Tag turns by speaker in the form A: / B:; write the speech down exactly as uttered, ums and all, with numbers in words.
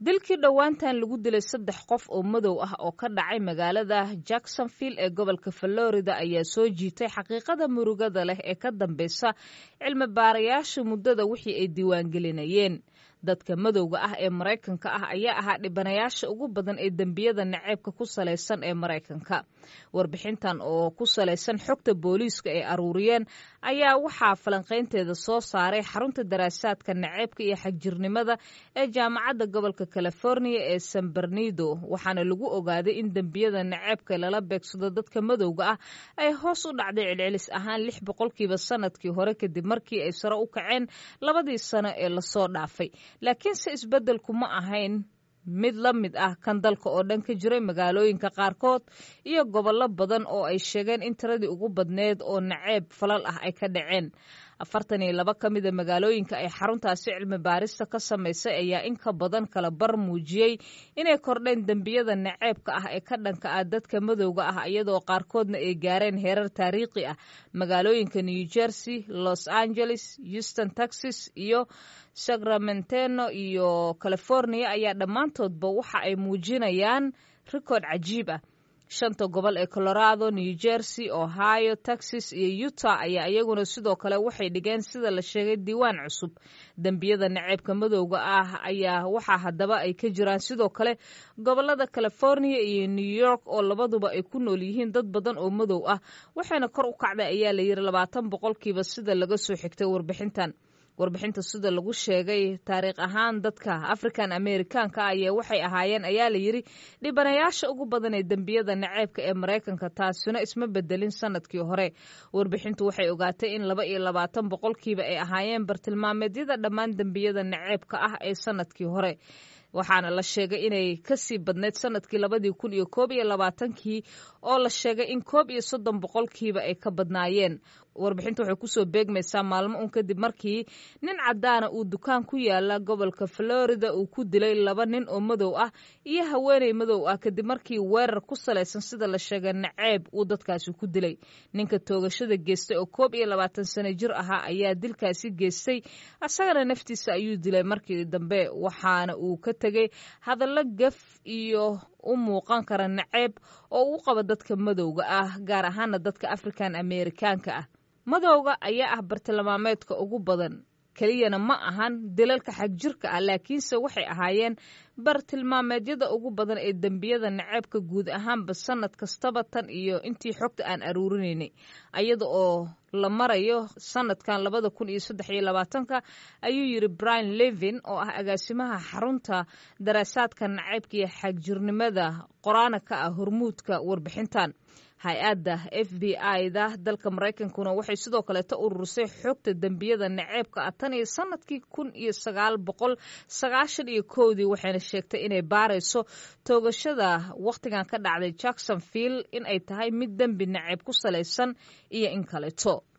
A: Dilkii dhowaantan lagu dilay saddex qof oo madow ah oo ka dhacay magaalada Jacksonville ee gobolka Florida ayaa soo jiitay xaqiiqada murugada leh ee ka dambeysa cilmi baarayaasha muddada wixii ay diiwaangelinayeen. Dadka madowga ah ee Maraykanka ah ayaa ahaa dhibanayaasha ugu badan ee dembiyada naceebka ku salaysan ee Maraykanka. Warbixintan oo ku salaysan xogta booliiska ay aruuriyeen ayaa waxaa falanqaynteeda soo saaray xarunta daraasaadka naceebka iyo xagjirnimada ee Jaamacadda Gobolka California ee San Bernardo, waxaana lagu ogaaday in dembiyada naceebka lala beegsado dadka madowga ah ay hoos u dhacday celcelis ahaan lix boqolkiiba sanadkii hore, kadib markii ay sare u kaceen labadii sano ee lasoo dhaafay. Laakiinse isbeddelku ma ahayn mid la mid ah kan dalka oo dhan ka jiray. Magaalooyinka qaarkood iyo gobollo badan oo ay sheegeen in tiradii ugu badneed oo naceeb falal ah ay ka dhaceen. Afartan iyo laba ka mida magaalooyinka ay xaruntaasi cilmi baarista ka samaysay ayaa in ka badan kala bar muujiyey inay kordheen dembiyada naceebka ah ee ka dhanka ah dadka madowga ah, iyadoo qaarkoodna ay gaareen heerar taariikhi ah. Magaalooyinka New Jersey, Los Angeles, Houston, Texas iyo Sacramento iyo California ayaa dhammaantoodba waxa ay muujinayaan rikoodh cajiib ah. Shanta gobol ee Colorado, New Jersey, Ohio, Texas iyo Utah ayaa iyaguna sidoo kale waxay dhigeen, sida la sheegay, diiwaan cusub. Dembiyada naceebka madowga ah ayaa waxaa haddaba ay ka jiraan sidoo kale gobolada California iyo New York, oo labaduba ay ku nool yihiin dad badan oo madow ah, waxayna kor u kacday ayaa la yidhi labaatan boqolkiiba, sida laga soo xigtay warbixintan. Warbixinta sida lagu sheegay, taariikh ahaan dadka African Americanka ayaa waxay ahaayeen ayaa la yidhi dhibanayaasha ugu badan ee dembiyada naceebka ee Maraykanka, taasina isma bedelin sanadkii hore. Warbixintu waxay ogaatay in laba iyo labaatan boqolkiiba ay ahaayeen bartilmaameedyada dhammaan dembiyada naceebka ah ee sanadkii hore, waxaana la sheegay inay kasii badnayd sanadkii labadii kun iyo koob iyo labaatankii oo la sheegay in koob iyo soddon boqolkiiba ay ka badnaayeen. Warbixintu waxay kusoo beegmaysaa maalmo un kadib markii nin caddaana uu dukaan ku yaala gobolka Florida uu ku dilay laba nin oo madow ah iyo haweeney madow ah, kadib markii weerar ku salaysan, sida la sheegay, naceeb uu dadkaasi ku dilay. Ninka toogashada geystay oo koob iyo labaatan sano jir ahaa ayaa dilkaasi geystay, asagana naftiisa ayuu dilay markii dambe, waxaana uu ka tegay hadallo gaf iyo u muuqan kara naceeb oo uu qabo dadka madowga ah, gaar ahaana dadka African Amerikaanka ah. Madowga ayaa ah bartilmaameedka ugu badan keliyana ma ahan dilalka xagjirka ah, laakiinse waxay ahaayeen bartilmaameedyada ugu badan ee dembiyada naceebka guud ahaanba sanad kastaba tan iyo intii xogta aan aruurinaynay, ayada oo la marayo sanadkan labada kun iyo saddex iyo labaatanka, ayuu yidhi Brian Levin oo ah agaasimaha xarunta daraasaadka naceybka iyo xagjirnimada, qoraana ka ah hormuudka warbixintan. Hay-adda F B I da dalka Maraykankuna waxay sidoo kaleeta ururisay xogta dembiyada naceebka ah tan iyo sanadkii kun iyo sagaal boqol sagaashan iyo kowdii, waxayna sheegtay inay baarayso toogashada wakhtigan ka dhacday Jacksonville in ay tahay mid dembi naceeb ku salaysan iyo in kaleeto.